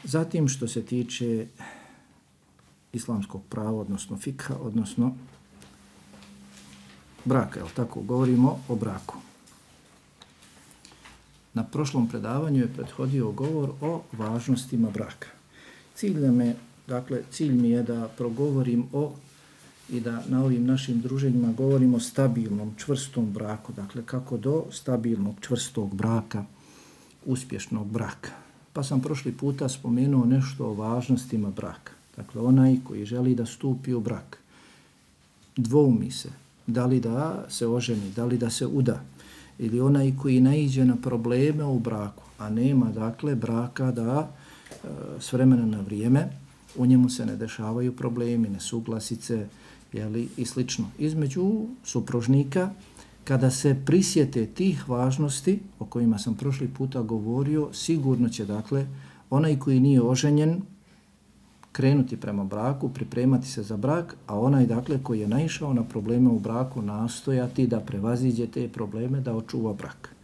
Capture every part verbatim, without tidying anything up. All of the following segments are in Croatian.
Zatim što se tiče islamskog prava, odnosno fikha, odnosno braka, jel tako, govorimo o braku. Na prošlom predavanju je prethodio govor o važnostima braka. Cilj me, dakle, cilj mi je da progovorim o i da na ovim našim druženjima govorimo o stabilnom, čvrstom braku, dakle kako do stabilnog, čvrstog braka, uspješnog braka. Pa sam prošli puta spomenuo nešto o važnostima braka. Dakle, onaj koji želi da stupi u brak, dvoumi se, da li da se oženi, da li da se uda, ili onaj koji naiđe na probleme u braku, a nema, dakle, braka da e, s vremena na vrijeme u njemu se ne dešavaju problemi, nesuglasice, jeli, i slično. Između supružnika, kada se prisjete tih važnosti o kojima sam prošli puta govorio, sigurno će, dakle, onaj koji nije oženjen krenuti prema braku, pripremati se za brak, a onaj, dakle, koji je naišao na probleme u braku, nastojati da prevaziđe te probleme, da očuva brak.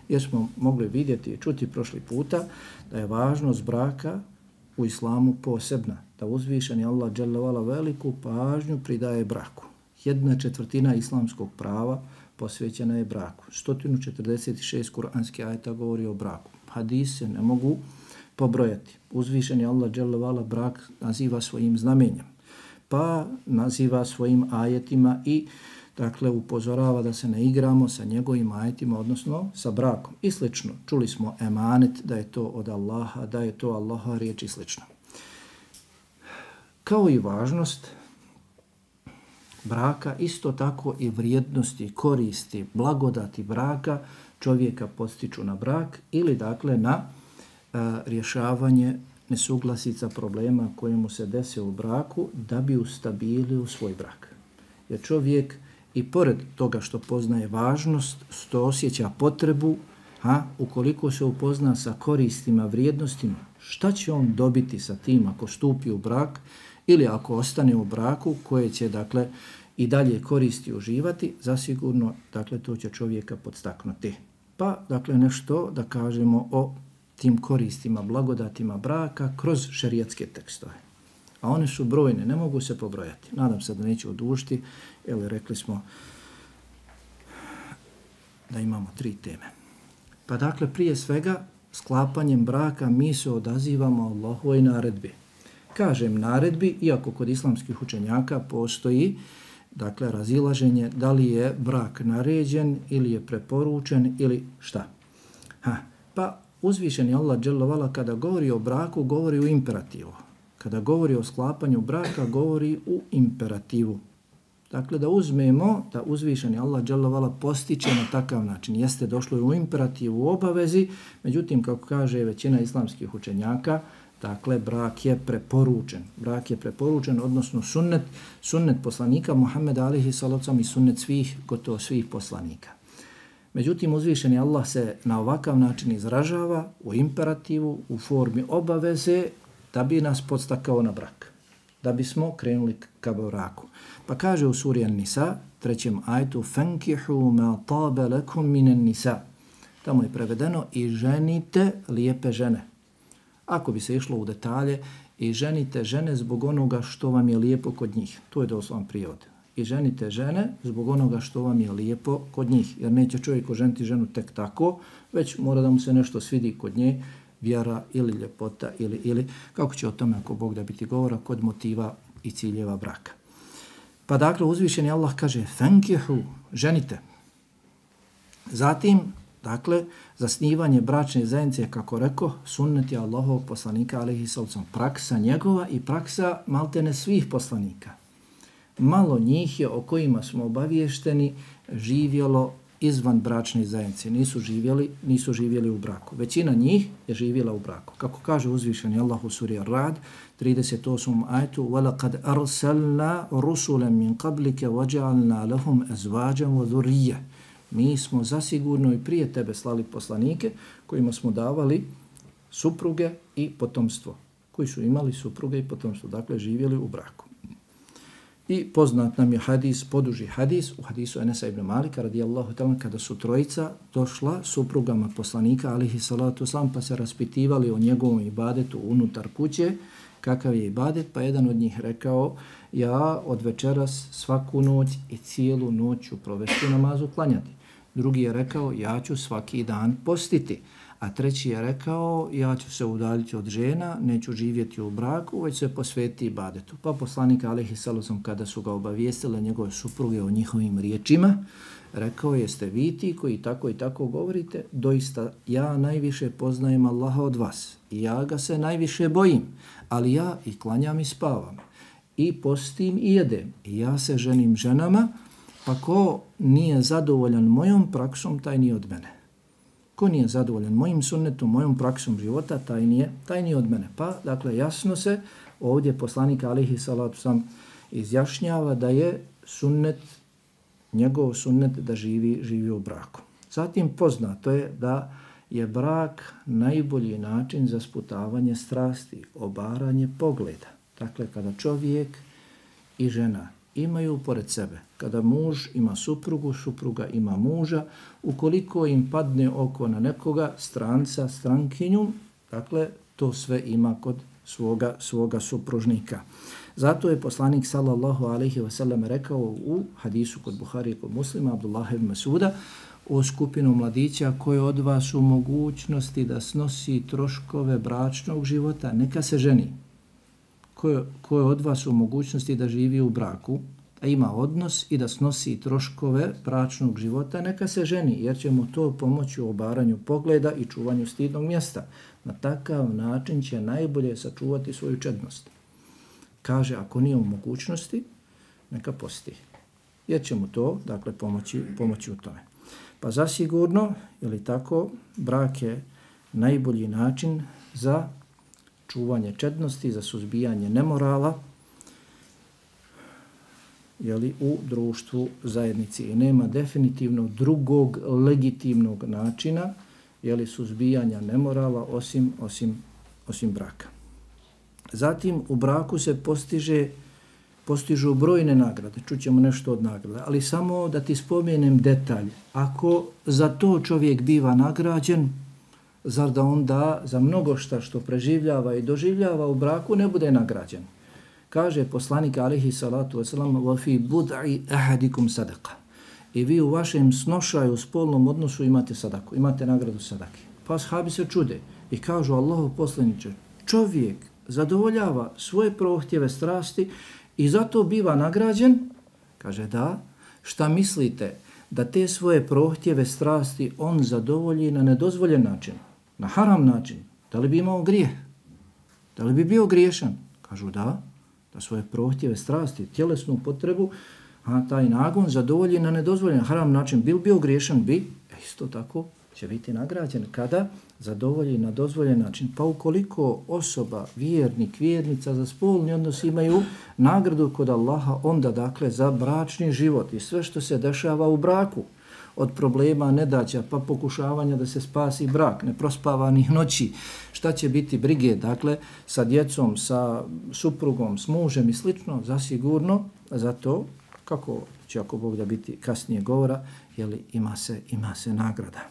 Jer smo mogli vidjeti i čuti prošli puta da je važnost braka u islamu posebna, da uzvišeni Allah dželle vala veliku pažnju pridaje braku. Jedna četvrtina islamskog prava posvećena je braku. sto četrdeset šest kuranskih ajeta govori o braku. Hadis se ne mogu pobrojati. Uzvišeni Allah dželle vala brak naziva svojim znamenjem, pa naziva svojim ajetima i, dakle, upozorava da se ne igramo sa njegovim ajetima, odnosno sa brakom i slično. Čuli smo emanet, da je to od Allaha, da je to Allaha riječ i slično. Kao i važnost braka, isto tako i vrijednosti, koristi, blagodati braka čovjeka podstiču na brak ili, dakle, na a, rješavanje nesuglasica, problema koje mu se dese u braku da bi ustabilio svoj brak. Jer čovjek i pored toga što poznaje važnost, što osjeća potrebu, a ukoliko se upozna sa koristima, vrijednostima, šta će on dobiti sa tim ako stupi u brak ili ako ostane u braku koje će, dakle, i dalje koristi uživati, zasigurno, dakle, to će čovjeka podstaknuti. Pa, dakle, nešto da kažemo o tim koristima, blagodatima braka kroz šerijatske tekstove. A one su brojne, ne mogu se pobrojati. Nadam se da neću odužiti, jer rekli smo da imamo tri teme. Pa, dakle, prije svega, sklapanjem braka mi se odazivamo Allahovoj naredbi. Kažem naredbi, iako kod islamskih učenjaka postoji, dakle, razilaženje da li je brak naređen ili je preporučen ili šta. Ha, pa uzvišeni Allah dželle vala kada govori o braku, govori u imperativu. Kada govori o sklapanju braka, govori u imperativu. Dakle, da uzmemo da uzvišeni Allah dželle vala postiče na takav način. Jeste došlo u imperativu, u obavezi, međutim, kako kaže većina islamskih učenjaka, dakle, brak je preporučen. Brak je preporučen, odnosno sunnet, sunnet poslanika Muhammeda alihi salocam i sunnet svih, gotovo svih poslanika. Međutim, uzvišeni Allah se na ovakav način izražava u imperativu, u formi obaveze, da bi nas podstakao na brak, da bismo krenuli ka braku. Pa kaže u suri An-Nisa, trećem ajetu, fankihu ma tabe lakum minan nisa. Tamo je prevedeno i ženite lijepe žene. Ako bi se išlo u detalje, i ženite žene zbog onoga što vam je lijepo kod njih. To je doslovan prijevod. I ženite žene zbog onoga što vam je lijepo kod njih. Jer neće čovjek oženiti ženu tek tako, već mora da mu se nešto svidi kod nje, vjera ili ljepota ili, ili kako će o tome ako Bog da biti govora kod motiva i ciljeva braka. Pa dakle, uzvišeni Allah kaže fankihu, ženite. Zatim, dakle, zasnivanje bračne zajednice, kako rekao, sunnet je Allahovog poslanika, alejhi sallam, praksa njegova i praksa maltene svih poslanika. Malo njih je o kojima smo obaviješteni živjelo izvan bračne zajednice, nisu živjeli, nisu živjeli u braku. Većina njih je živjela u braku. Kako kaže uzvišeni Allah u suri Ar-Ra'd, trideset osmom ajetu, وَلَقَدْ أَرْسَلْنَا رُسُولًا مِنْ قَبْلِكَ وَجَعَلْنَا لَهُمْ أَزْوَاجًا وَذُرِّيَّةً. Mi smo zasigurno i prije tebe slali poslanike kojima smo davali supruge i potomstvo, koji su imali supruge i potomstvo, dakle živjeli u braku. I poznat nam je hadis, poduži hadis, u hadisu Enesa ibn Malika radijallahu ta'ala, kada su trojica došla suprugama poslanika alihi salatu wasalam, pa se raspitivali o njegovom ibadetu unutar kuće, kakav je ibadet, pa jedan od njih rekao, ja od večeras svaku noć i cijelu noć ću provesti namazu klanjati. Drugi je rekao, ja ću svaki dan postiti. A treći je rekao, ja ću se udaljiti od žena, neću živjeti u braku, već se posvetiti ibadetu. Pa poslanik alejhi salatu vesselam, kada su ga obavijestile njegove supruge o njihovim riječima, rekao, jeste vi ti koji tako i tako govorite, doista ja najviše poznajem Allaha od vas i ja ga se najviše bojim, ali ja i klanjam i spavam i postim i jedem i ja se ženim ženama, pa ko nije zadovoljan mojom praksom, taj nije od mene. Ko nije zadovoljan mojim sunnetom, mojom praksom života, taj nije, taj nije od mene. Pa, dakle, jasno se ovdje poslanik alejhi salatu vesselam izjašnjava da je sunnet, njegov sunnet da živi, živi u braku. Zatim poznato je da je brak najbolji način za sputavanje strasti, obaranje pogleda. Dakle, kada čovjek i žena imaju pored sebe, kada muž ima suprugu, supruga ima muža, ukoliko im padne oko na nekoga, stranca, strankinju, dakle, to sve ima kod svoga, svoga supružnika. Zato je poslanik sallallahu alejhi ve sellem rekao u hadisu kod Buhari i kod Muslima, Abdullah ibn Mas'uda, o skupinu mladića koje od vas u mogućnosti da snosi troškove bračnog života, neka se ženi. Ko, ko je od vas u mogućnosti da živi u braku, a ima odnos i da snosi troškove bračnog života, neka se ženi, jer će mu to pomoći u obaranju pogleda i čuvanju stidnog mjesta. Na takav način će najbolje sačuvati svoju čednost. Kaže, ako nije u mogućnosti, neka posti. Jer će mu to, dakle, pomoći, pomoći u tome. Pa zasigurno, ili tako, brak je najbolji način za čuvanje čednosti, za suzbijanje nemorala, jeli, u društvu zajednici. I nema definitivno drugog legitimnog načina, jeli, suzbijanja nemorala osim, osim, osim braka. Zatim u braku se postiže, postižu brojne nagrade, čućemo nešto od nagrada, ali samo da ti spomenem detalj. Ako za to čovjek biva nagrađen, zar da onda za mnogo šta što preživljava i doživljava u braku ne bude nagrađen? Kaže poslanik alejhi salatu vesselam, wa fi bud'i ahadikum sadaqa. I vi u vašem snošaju, spolnom odnosu imate sadaku, imate nagradu sadake. Pa ashabi se čude i kažu, Allahov poslaniče, čovjek zadovoljava svoje prohtjeve strasti i zato biva nagrađen? Kaže, da. Šta mislite? Da te svoje prohtjeve strasti on zadovolji na nedozvoljen način, na haram način? Da li bi imao grijeh? Da li bi bio griješan? Kažu, da. Da svoje prohtjeve strasti, tjelesnu potrebu, a taj nagon zadovolji na nedozvoljen haram način. Bil bio griješan? Bi. E, isto tako će biti nagrađen kada zadovolji na dozvoljen način. Pa ukoliko osoba, vjernik, vjernica za spolni odnos imaju nagradu kod Allaha, onda dakle za bračni život i sve što se dešava u braku, od problema, nedaća, pa pokušavanja da se spasi brak, neprospavanih noći, šta će biti brige, dakle, sa djecom, sa suprugom, s mužem i slično, zasigurno, zato, kako će ako Bog da biti kasnije govora, jeli, ima se, ima se nagrada.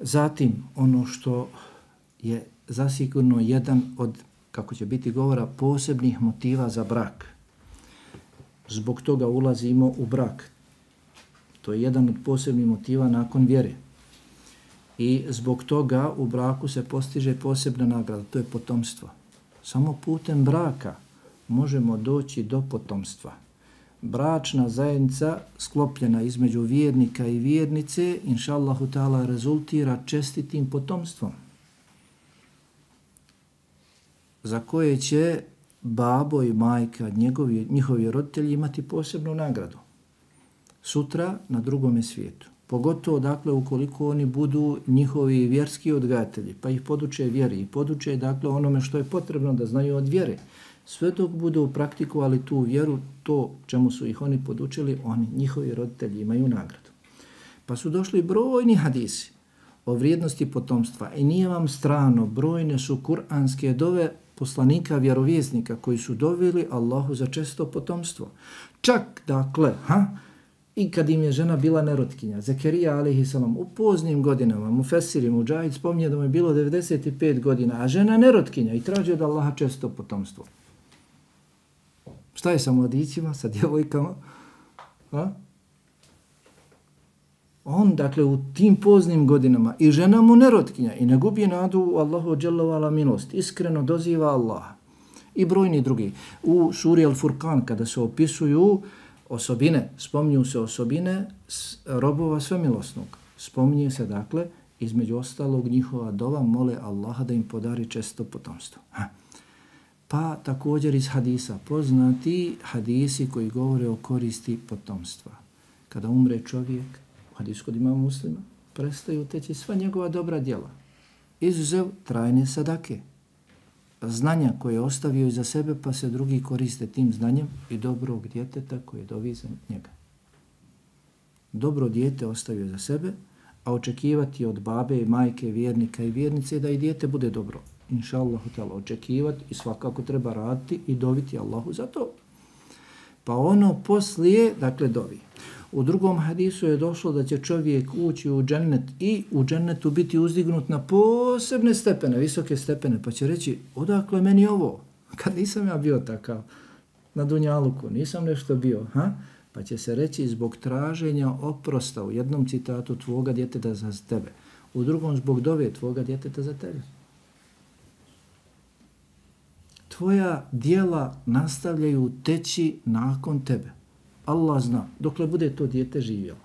Zatim, ono što je zasigurno jedan od, kako će biti govora, posebnih motiva za brak. Zbog toga ulazimo u brak. To je jedan od posebnih motiva nakon vjere. I zbog toga u braku se postiže posebna nagrada, to je potomstvo. Samo putem braka možemo doći do potomstva. Bračna zajednica sklopljena između vjernika i vjernice, inša Allahu ta'ala, rezultira čestitim potomstvom, za koje će babo i majka, njegovi, njihovi roditelji imati posebnu nagradu sutra na drugome svijetu. Pogotovo, dakle, ukoliko oni budu njihovi vjerski odgajatelji, pa ih poduče vjeri i poduče, dakle, onome što je potrebno da znaju od vjere. Sve dok budu praktikovali tu vjeru, to čemu su ih oni podučili, oni, njihovi roditelji imaju nagradu. Pa su došli brojni hadisi o vrijednosti potomstva i nije vam strano, brojne su kuranske dove poslanika, vjerovjesnika koji su doveli Allahu za često potomstvo. Čak, dakle, ha, i kad im je žena bila nerotkinja, Zekerija alejhiselam u poznim godinama, Mufesiri, Mudžahid spominje da mu je bilo devedeset pet godina, a žena nerotkinja i traži od Allaha često potomstvo. Šta je sa mladićima, sa djevojkama? A? On, dakle, u tim poznim godinama i žena mu nerotkinja i ne gubi nadu u Allahu dželle ve ala milost, iskreno doziva Allaha. I brojni drugi. U suri Al-Furqan, kada se opisuju osobine, spominju se osobine robova svemilosnog. Spominje se, dakle, između ostalog njihova dova mole Allaha da im podari često potomstvo. Ha. Pa također iz hadisa, poznati hadisi koji govore o koristi potomstva. Kada umre čovjek, u hadisu kod imama Muslima, prestaju teći sva njegova dobra djela. Izuzev trajne sadake. Znanja koje je ostavio iza sebe, pa se drugi koriste tim znanjem i dobrog djeteta koje dovi za njega. Dobro dijete ostavio za sebe, a očekivati od babe i majke, vjernika i vjernice da i dijete bude dobro. Inša Allah, očekivati i svakako treba raditi i doviti Allahu za to. Pa ono poslije, dakle, dovi. U drugom hadisu je došlo da će čovjek ući u džennet i u džennetu biti uzdignut na posebne stepene, visoke stepene, pa će reći, odakle meni ovo? Kad nisam ja bio takav na dunjaluku, nisam nešto bio, ha? Pa će se reći zbog traženja oprosta u jednom citatu tvoga djeteta za tebe, u drugom zbog dove tvoga djeteta za tebe. Tvoja djela nastavljaju teći nakon tebe. Allah zna, dokle bude to dijete živjelo.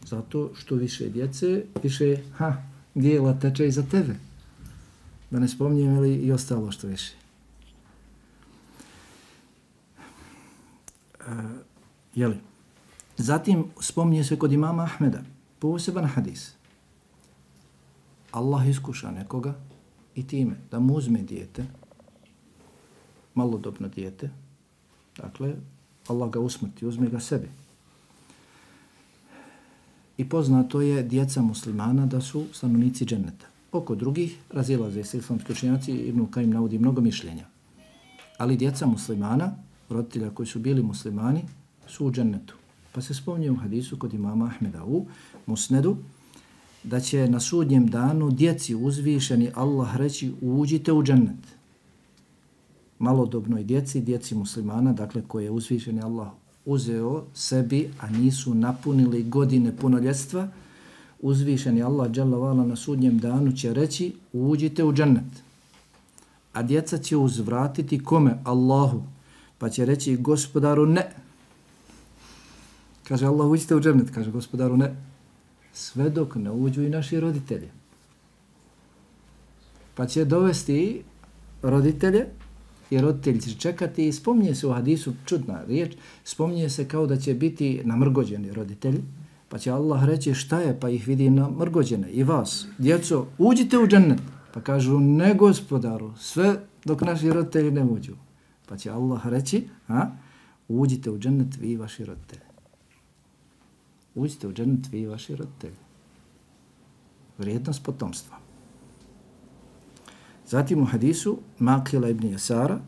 Zato što više djece, više ha, djela teče i za tebe. Da ne spominjem li i ostalo što više. E, jeli? Zatim spominje se kod imama Ahmeda poseban hadis. Allah iskuša nekoga i time da mu uzme dijete, malodobno dijete, dakle, Allah ga usmrti, uzme ga sebi. I poznato je djeca muslimana da su stanovnici dženneta. Oko drugih razilaze se islamski učenjaci i Ibn Kajim navodi mnogo mišljenja. Ali djeca muslimana, roditelja koji su bili muslimani, su u džennetu. Pa se spominje u hadisu kod imama Ahmeda u Musnedu, da će na sudnjem danu djeci uzvišeni Allah reći uđite u džennet. Malodobnoj djeci, djeci muslimana, dakle koje je uzvišeni Allah uzeo sebi, a nisu napunili godine punoljetstva, uzvišeni Allah dželle ve ala na sudnjem danu će reći uđite u džennet. A djeca će uzvratiti kome? Allahu. Pa će reći gospodaru ne. Kaže Allah uđite u džennet, kaže gospodaru ne. Sve dok ne uđu i naši roditelji. Pa će dovesti roditelje i roditelji će čekati i spominje se u hadisu, čudna riječ, spominje se kao da će biti namrgođeni roditelji, pa će Allah reći šta je, pa ih vidi namrgođene i vas, djeco, uđite u džennet. Pa kažu ne gospodaru, sve dok naši roditelji ne uđu. Pa će Allah reći, a, uđite u džennet vi i vaši roditelji. Uđite u džennet vi i vaši roditelji. Vrijednost potomstva. Zatim u hadisu Makila ibn Jasara,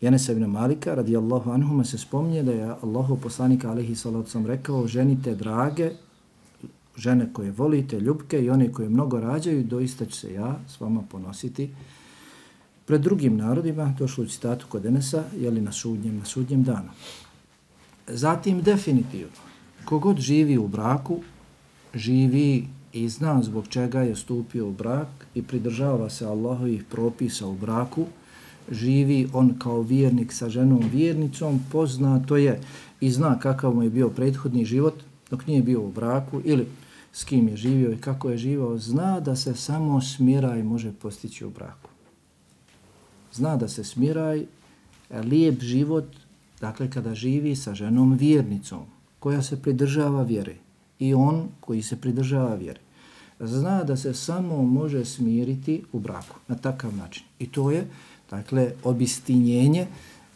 Janesa ibn Malika, radijallahu anhuma, se spominje da je Allahov poslanik alejhi salatu vesselam rekao ženite drage, žene koje volite, ljubke i one koje mnogo rađaju, doista ću se ja s vama ponositi pred drugim narodima, došlo u citatu kod Enesa, jeli na sudnjem, na sudnjem danu. Zatim definitivno, kogod živi u braku, živi i zna zbog čega je stupio u brak i pridržava se Allahovih propisa u braku, živi on kao vjernik sa ženom vjernicom, poznato je i zna kakav mu je bio prethodni život dok nije bio u braku ili s kim je živio i kako je živao, zna da se samo smiraj može postići u braku. Zna da se smiraj, lijep život, dakle kada živi sa ženom vjernicom koja se pridržava vjere i on koji se pridržava vjere. Zna da se samo može smiriti u braku na takav način. I to je, dakle, obistinjenje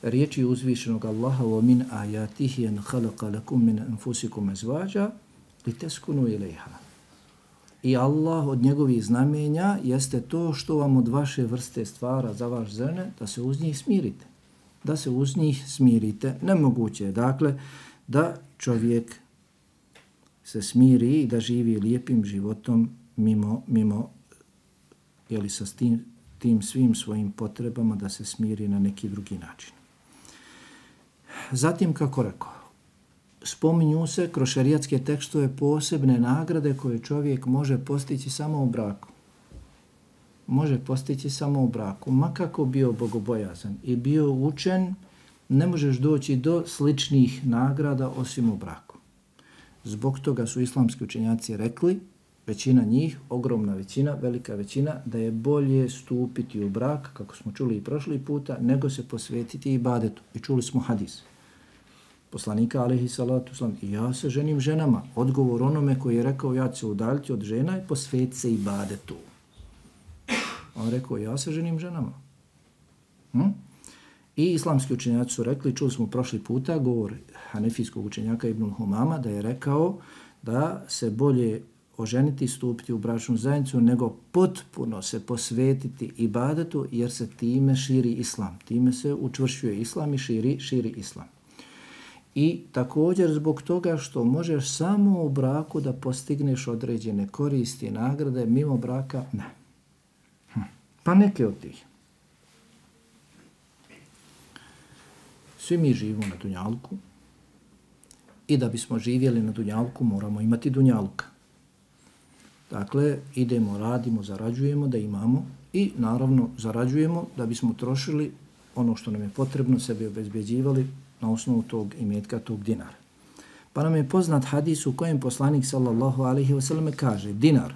riječi uzvišenog Allaha وَمِنْ آيَاتِهِ أَنْ خَلَقَ لَكُمْ مِنْ أَنْفُسِكُمْ أَزْوَاجًا لِتَسْكُنُوا إِلَيْهَا. i Allah od njegovih znamenja jeste to što vam od vaše vrste stvara za vaš žene, da se uz njih smirite. Da se uz njih smirite. Nemoguće je, dakle, da čovjek se smiri i da živi lijepim životom mimo, mimo jeli, sa tim, tim svim svojim potrebama da se smiri na neki drugi način. Zatim, kako rekao, spominju se kroz šerijatske tekstove posebne nagrade koje čovjek može postići samo u braku. Može postići samo u braku. Ma kako bio bogobojazan i bio učen, ne možeš doći do sličnih nagrada osim u braku. Zbog toga su islamski učenjaci rekli, većina njih, ogromna većina, velika većina, da je bolje stupiti u brak, kako smo čuli i prošli puta, nego se posvetiti ibadetu. I čuli smo hadis poslanika alejhi salatu selam, i ja se ženim ženama. Odgovor onome koji je rekao ja ću se udaljiti od žena i posvetiti se ibadetu. On rekao ja se ženim ženama. Hm? I islamski učenjaci su rekli, čuli smo prošli puta, govor hanefijskog učenjaka Ibnul Humama, da je rekao da se bolje oženiti, stupiti u bračnu zajednicu, nego potpuno se posvetiti ibadetu, jer se time širi islam. Time se učvršćuje islam i širi, širi islam. I također zbog toga što možeš samo u braku da postigneš određene koristi i nagrade, mimo braka ne. Hm. Pa neke od tih. Svi mi živimo na dunjalku i da bismo živjeli na dunjalku moramo imati dunjaluka. Dakle, idemo, radimo, zarađujemo da imamo i naravno zarađujemo da bismo trošili ono što nam je potrebno, sebi obezbeđivali na osnovu tog imetka, tog dinara. Pa nam je poznat hadis u kojem poslanik sallallahu alaihi wa sallam kaže dinar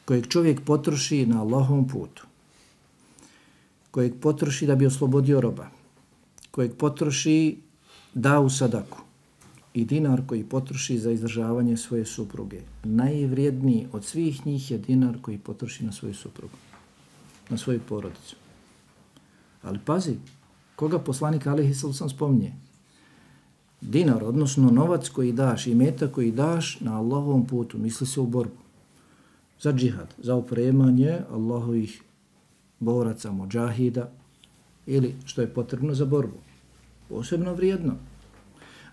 kojeg čovjek potroši na Allahovom putu, kojeg potroši da bi oslobodio roba, kojeg potroši da u sadaku i dinar koji potroši za izdržavanje svoje supruge. Najvrijedniji od svih njih je dinar koji potroši na svoju suprugu, na svoju porodicu. Ali pazi, koga poslanik alejhi salatu selam spominje? Dinar, odnosno novac koji daš, imetak koji daš na Allahovom putu, misli se u borbu. Za džihad, za opremanje Allahovih boraca, modžahida ili što je potrebno za borbu. Posebno vrijedno.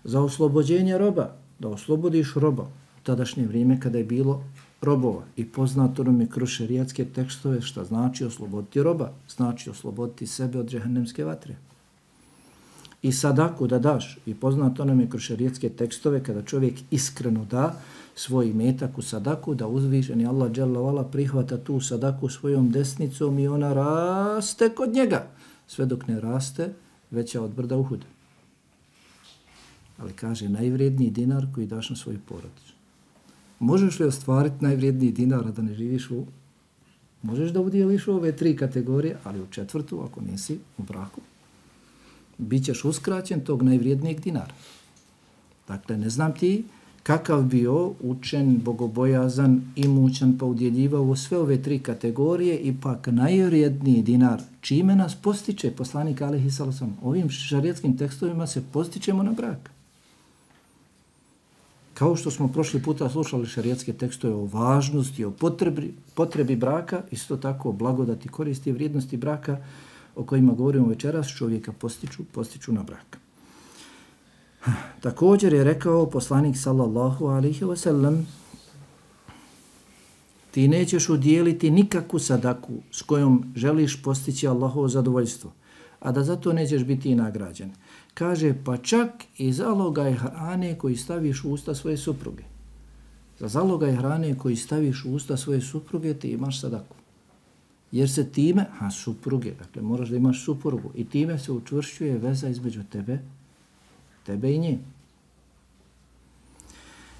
Za oslobođenje roba, da oslobodiš roba u tadašnje vrijeme kada je bilo robova. I poznato nam je kroz šerijatske tekstove šta znači osloboditi roba, znači osloboditi sebe od džehennemske vatre. I sadaku da daš, i poznato nam je kroz šerijatske tekstove kada čovjek iskreno da svoj imetak u sadaku, da uzvišeni Allah dželle ve ala prihvata tu sadaku svojom desnicom i ona raste kod njega, sve dok ne raste veća od brda Uhuda. Ali kaže najvrijedniji dinar koji daš na svoju porodicu. Možeš li ostvariti najvrijedniji dinar, a da ne živiš u... Možeš da udjeliš u ove tri kategorije, ali u četvrtu, ako nisi u braku, bit ćeš uskraćen tog najvrijednijeg dinara. Dakle, ne znam ti kakav bio učen, bogobojazan, imućan, pa udjeljivao sve ove tri kategorije i pak najvrijedniji dinar. Čime nas postiče poslanik alejhi salatu selam? Ovim šarijatskim tekstovima se postičemo na brak. Kao što smo prošli puta slušali šarijatske tekstove o važnosti, o potrebi, potrebi braka, isto tako o blagodati, koristi i vrijednosti braka o kojima govorimo večeras, čovjeka postiču, postiču na brak. Također je rekao poslanik sallallahu alaihi wa sallam, ti nećeš udjeliti nikakvu sadaku s kojom želiš postići Allahovo zadovoljstvo, a da zato nećeš biti i nagrađen. Kaže, pa čak i zalogaj hrane koji staviš u usta svoje supruge. Za zalogaj hrane koji staviš u usta svoje supruge ti imaš sadaku. Jer se time, a supruge, dakle moraš da imaš suprugu i time se učvršćuje veza između tebe, tebe i nje.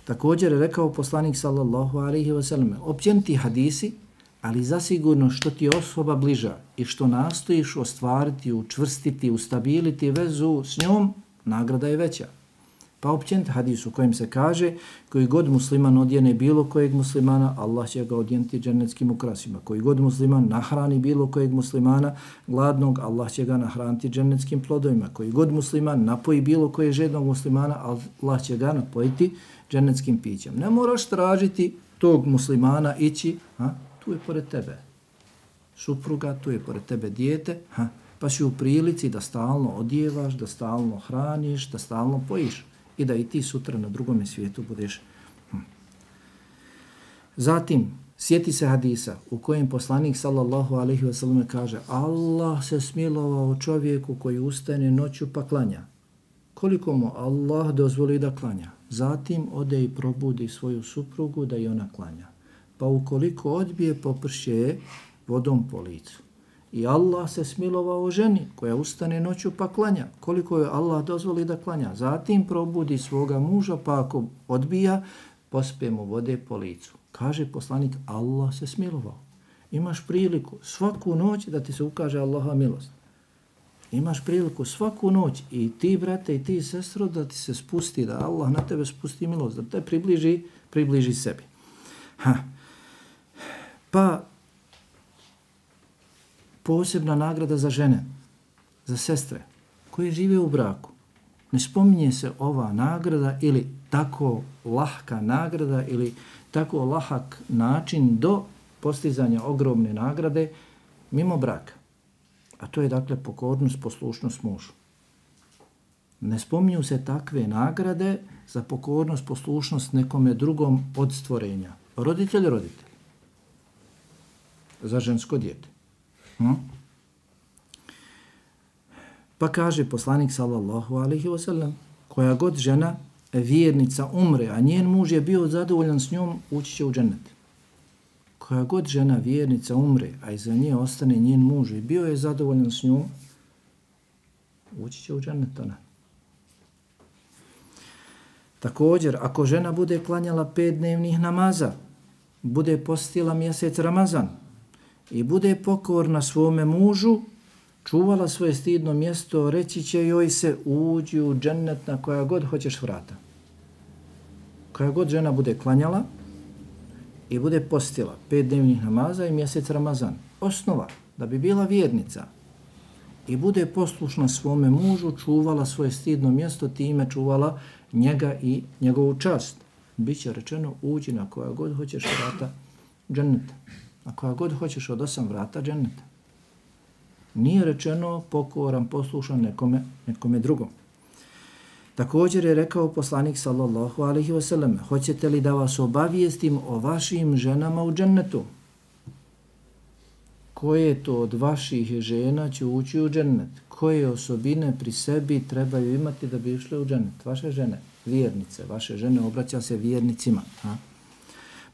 Također je rekao poslanik sallallahu alaihi wa sallam, općeniti hadisi, ali zasigurno što ti osoba bliža i što nastojiš ostvariti, učvrstiti, ustabiliti vezu s njom, nagrada je veća. Pa općeniti hadis u kojem se kaže, koji god musliman odjene bilo kojeg muslimana, Allah će ga odjeniti džennetskim ukrasima. Koji god musliman nahrani bilo kojeg muslimana gladnog, Allah će ga nahraniti džennetskim plodovima. Koji god musliman napoji bilo kojeg žednog muslimana, Allah će ga napojiti džennetskim pićem. Ne moraš tražiti tog muslimana ići, ha, tu je pored tebe supruga, tu je pored tebe dijete, ha, pa si u prilici da stalno odjevaš, da stalno hraniš, da stalno pojiš i da i ti sutra na drugom svijetu budeš. Hm. Zatim, sjeti se hadisa u kojem poslanik sallallahu alejhi ve sellem kaže: Allah se smilovao čovjeku koji ustane noću pa klanja. Koliko mu Allah dozvoli da klanja. Zatim ode i probudi svoju suprugu da i ona klanja. Pa ukoliko odbije, poprše vodom po licu. I Allah se smilovao ženi koja ustane noću pa klanja. Koliko je Allah dozvoli da klanja. Zatim probudi svoga muža, pa ako odbija, pospe mu vode po licu. Kaže poslanik, Allah se smilovao. Imaš priliku svaku noć da ti se ukaže Allaha milost. Imaš priliku svaku noć i ti, brate, i ti, sestro, da ti se spusti, da Allah na tebe spusti milost, da te približi, približi sebi. Ha. Pa, posebna nagrada za žene, za sestre koje žive u braku. Ne spominje se ova nagrada ili tako lahka nagrada ili tako lahak način do postizanja ogromne nagrade mimo braka. A to je dakle pokornost, poslušnost mužu. Ne spominju se takve nagrade za pokornost, poslušnost nekome drugom od stvorenja. Roditelj, roditelj. Za žensko dijete. Hm? Pa kaže poslanik sallallahu alejhi ve sellem, koja god žena vjernica umre, a njen muž je bio zadovoljan s njom, ući će u džennet. Koja god žena vjernica umre, a iza nje ostane njen muž i bio je zadovoljan s njom, ući će u džennet ona. Također, ako žena bude klanjala pet dnevnih namaza, bude postila mjesec Ramazan i bude pokorna svome mužu, čuvala svoje stidno mjesto, reći će joj se uđi u džennet na koja god hoćeš vrata. Koja god žena bude klanjala i bude postila pet dnevnih namaza i mjesec Ramazan, osnova da bi bila vjernica i bude poslušna svome mužu, čuvala svoje stidno mjesto, time čuvala njega i njegovu čast. Biće rečeno uđi na koja god hoćeš vrata dženneta. Na koja god hoćeš od osam vrata dženneta. Nije rečeno pokoran, poslušan nekome, nekome drugom. Također je rekao poslanik sallallahu alejhi ve sellem: hoćete li da vas obavijestim o vašim ženama u džennetu? Koje to od vaših žena će ući u džennet? Koje osobine pri sebi trebaju imati da bi išle u džennet? Vaše žene, vjernice, vaše žene, obraća se vjernicima. Ha?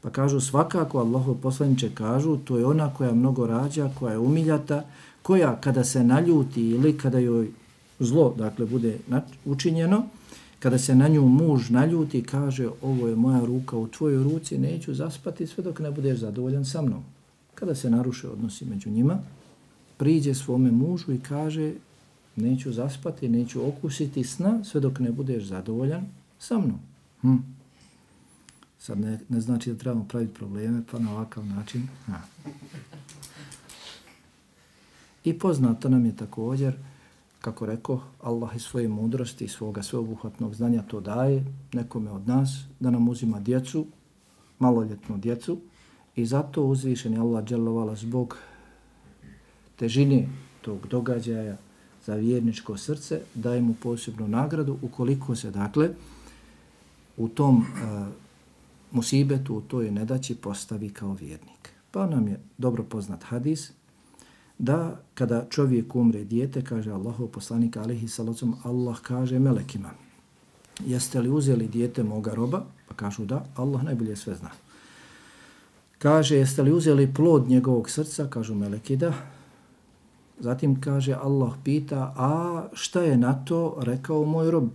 Pa kažu svakako, Allahov poslaniče kažu, to je ona koja mnogo rađa, koja je umiljata, koja kada se naljuti ili kada joj zlo, dakle, bude učinjeno, kada se na nju muž naljuti, kaže ovo je moja ruka u tvojoj ruci, neću zaspati sve dok ne budeš zadovoljan sa mnom. Kada se naruše odnosi među njima, priđe svome mužu i kaže neću zaspati, neću okusiti sna sve dok ne budeš zadovoljan sa mnom. Hm. Sad ne, ne znači da trebamo praviti probleme, pa na ovakav način. Ha. I poznato nam je također, kako rekao, Allah iz svoje mudrosti i svoga sveobuhvatnog znanja to daje nekome od nas, da nam uzima djecu, maloljetnu djecu, i zato uzvišeni Allah dželovala zbog težine tog događaja za vjerničko srce daje mu posebnu nagradu ukoliko se, dakle, u tom uh, musibetu, u toj nedaći postavi kao vjernik. Pa nam je dobro poznat hadis da kada čovjek umre dijete, kaže Allahov poslanik alejhi salatu, Allah kaže melekima: jeste li uzeli dijete moga roba? Pa kažu da, Allah najbolje sve zna. Kaže, jeste li uzeli plod njegovog srca? Kažu meleki da. Zatim kaže, Allah pita, a šta je na to rekao moj rob?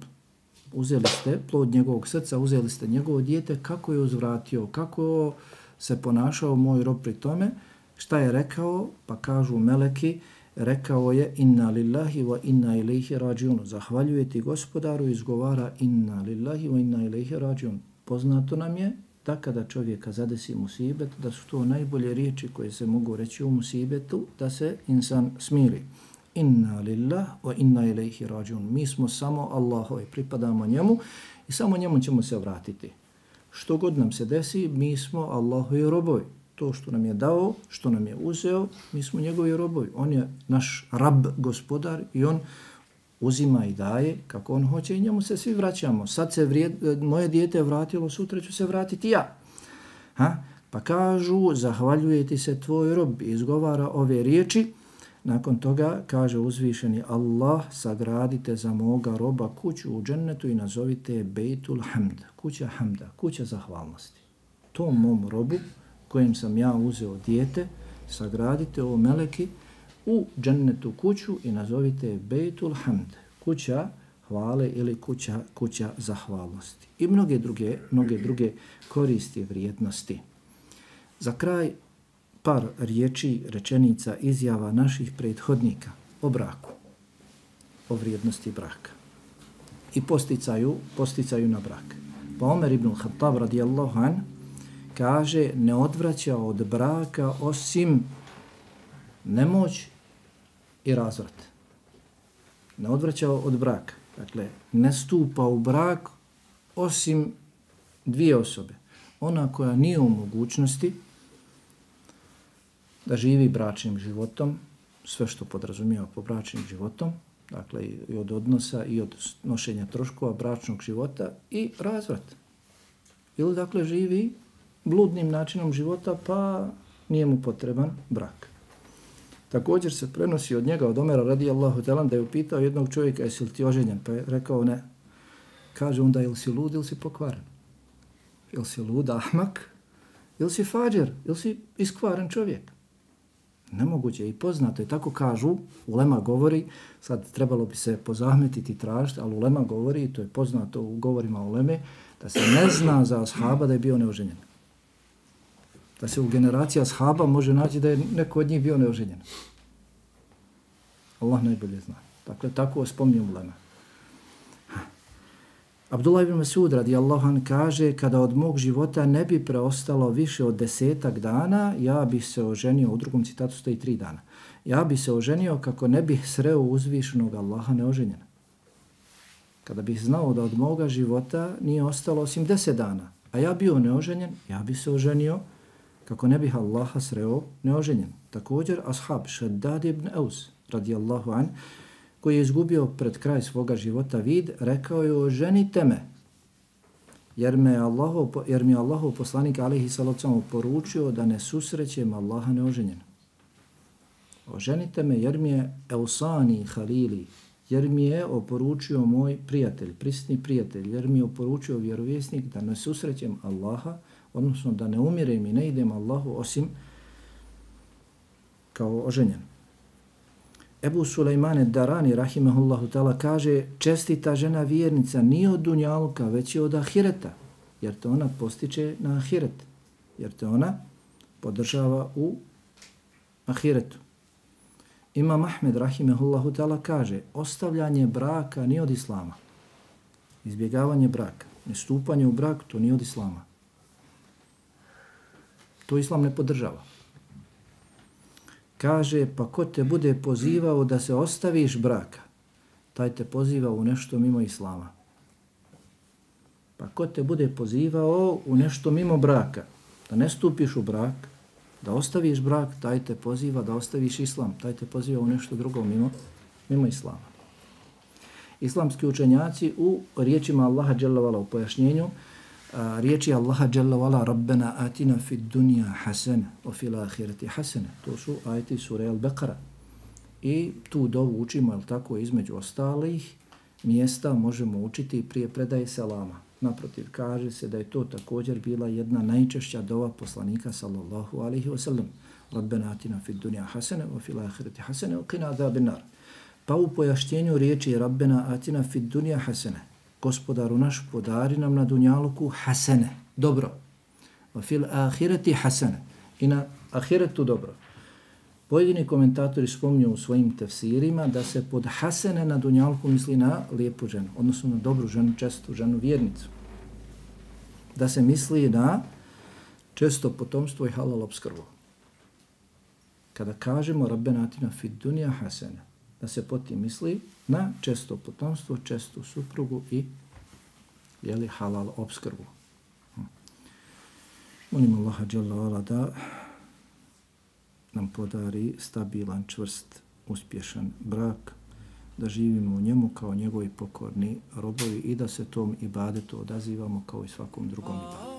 Uzeli ste plod njegovog srca, uzeli ste njegovo dijete, kako je uzvratio, kako se ponašao moj rob pri tome? Šta je rekao? Pa kažu meleki, rekao je inna lillahi wa inna ilaihi rađiun. Zahvaljuje ti gospodaru i izgovara inna lillahi wa inna ilaihi rađiun. Poznato nam je da kada čovjeka zadesi musibet, da su to najbolje riječi koje se mogu reći u musibetu, da se insan smiri. Inna lillah wa inna ilaihi rađiun. Mi smo samo Allahovi, pripadamo njemu i samo njemu ćemo se vratiti. što god nam se desi, mi smo Allahovi robovi. To što nam je dao, što nam je uzeo, mi smo njegovi robovi. On je naš rab, gospodar i on uzima i daje kako on hoće i njemu se svi vraćamo. Sad se vrijed, moje dijete vratilo, sutra ću se vratiti ja. Ha? Pa kažu, zahvaljuje ti se tvoj rob, izgovara ove riječi. Nakon toga kaže uzvišeni Allah, sagradite za moga roba kuću u džennetu i nazovite je Bejtul Hamd, kuća Hamda, kuća zahvalnosti. Tom mom robu kojem sam ja uzeo dijete, sagradite o meleki u džennetu kuću i nazovite je Bejtul Hamd, kuća hvale ili kuća, kuća zahvalnosti. I mnoge druge, mnoge druge koristi vrijednosti. Za kraj par riječi, rečenica, izjava naših prethodnika o braku, o vrijednosti braka i posticaju, posticaju na brak. Pa Omer ibn Khattab radijallahu an kaže, ne odvraća od braka osim nemoć i razvrat. Ne odvraća od braka. Dakle, ne stupa u brak osim dvije osobe. Ona koja nije u mogućnosti da živi bračnim životom, sve što podrazumijeva po bračnim životom, dakle i od odnosa i od nošenja troškova bračnog života i razvrat. Ili dakle živi bludnim načinom života pa nije mu potreban brak. Također se prenosi od njega, od Omera radijallahu ta'ala, da je upitao jednog čovjeka, jesi li ti oženjen? Pa je rekao ne. Kaže onda, ili si lud ili si pokvaren? Ili si lud, ahmak? Ili si fađer? Ili si iskvaren čovjek? Nemoguće je i poznato je, tako kažu, ulema govori, sad trebalo bi se pozahmetiti i tražiti, ali ulema govori, i to je poznato u govorima uleme, da se ne zna za ashaba da je bio neoženjen. Da se u generaciji ashaba može naći da je neko od njih bio neoženjen. Allah najbolje zna. Dakle, tako spominjem ulema. Abdullah ibn Mas'ud radijallahu an kaže, kada od mog života ne bi preostalo više od desetak dana, ja bih se oženio, u drugom citatu stoji tri dana, ja bih se oženio kako ne bih sreo uzvišenog Allaha neoženjena. Kada bih znao da od moga života nije ostalo osim deset dana, a ja bio neoženjen, ja bih se oženio kako ne bih Allaha sreo neoženjen. Također, ashab Shaddad ibn Aus radijallahu an, koji je izgubio pred kraj svoga života vid, rekao je, oženite me, jer, me Allahov, jer mi je Allahov poslanik alejhi salatu vesselam poručio da ne susrećem Allaha neoženjena. Oženite me jer mi je Eusani Halili, jer mi je oporučio moj prijatelj, prisni prijatelj, jer mi je oporučio vjerovjesnik da ne susrećem Allaha, odnosno da ne umirem i ne idem Allahu osim kao oženjen. Ebu Sulejmane Darani, rahimahullahu ta'ala, kaže, čestita žena vjernica nije od dunjaluka, već je od ahireta, jer te ona postiče na ahiret, jer te ona podržava u ahiretu. Imam Ahmed, rahimahullahu ta'ala, kaže, ostavljanje braka nije od islama. Izbjegavanje braka, nestupanje u brak, to nije od islama. To islam ne podržava. Kaže, pa ko te bude pozivao da se ostaviš braka, taj te poziva u nešto mimo islama. Pa ko te bude pozivao u nešto mimo braka, da ne stupiš u brak, da ostaviš brak, taj te poziva da ostaviš islam, taj te poziva u nešto drugo mimo, mimo islama. Islamski učenjaci u riječima Allaha dželle vala, u pojašnjenju, a, riječi Allaha dželle vala, Rabbena atina fid dunja hasene, o fil ahireti hasene. To su ajeti sure Al-Baqara. I tu dovu učimo, jel tako, između ostalih mjesta možemo učiti prije predaje selama. Naprotiv, kaže se da je to također bila jedna najčešća dova poslanika sallallahu alaihi wa sallam. Rabbena atina fid dunja hasene, o fil ahireti hasene, o qina adhabin nar. Pa u pojašnjenju riječi Rabbena atina fid dunja hasene, gospodaru naš, podari nam na dunjaluku hasene, dobro. O fil ahireti hasene, i na ahiretu dobro. Pojedini komentatori spominju u svojim tefsirima da se pod hasene na dunjalku misli na lijepu ženu, odnosno na dobru ženu, čestu ženu, vjernicu. Da se misli na često potomstvo i halal opskrbu. Kada kažemo Rabbena atina fid dunja hasene, da se pod tim misli na često potomstvo, čestu suprugu i jeli, halal opskrbu. Molim Allaha dželle ve ala da nam podari stabilan, čvrst, uspješan brak, da živimo u njemu kao njegovi pokorni robovi i da se tom ibadetu odazivamo kao i svakom drugom ibadetu.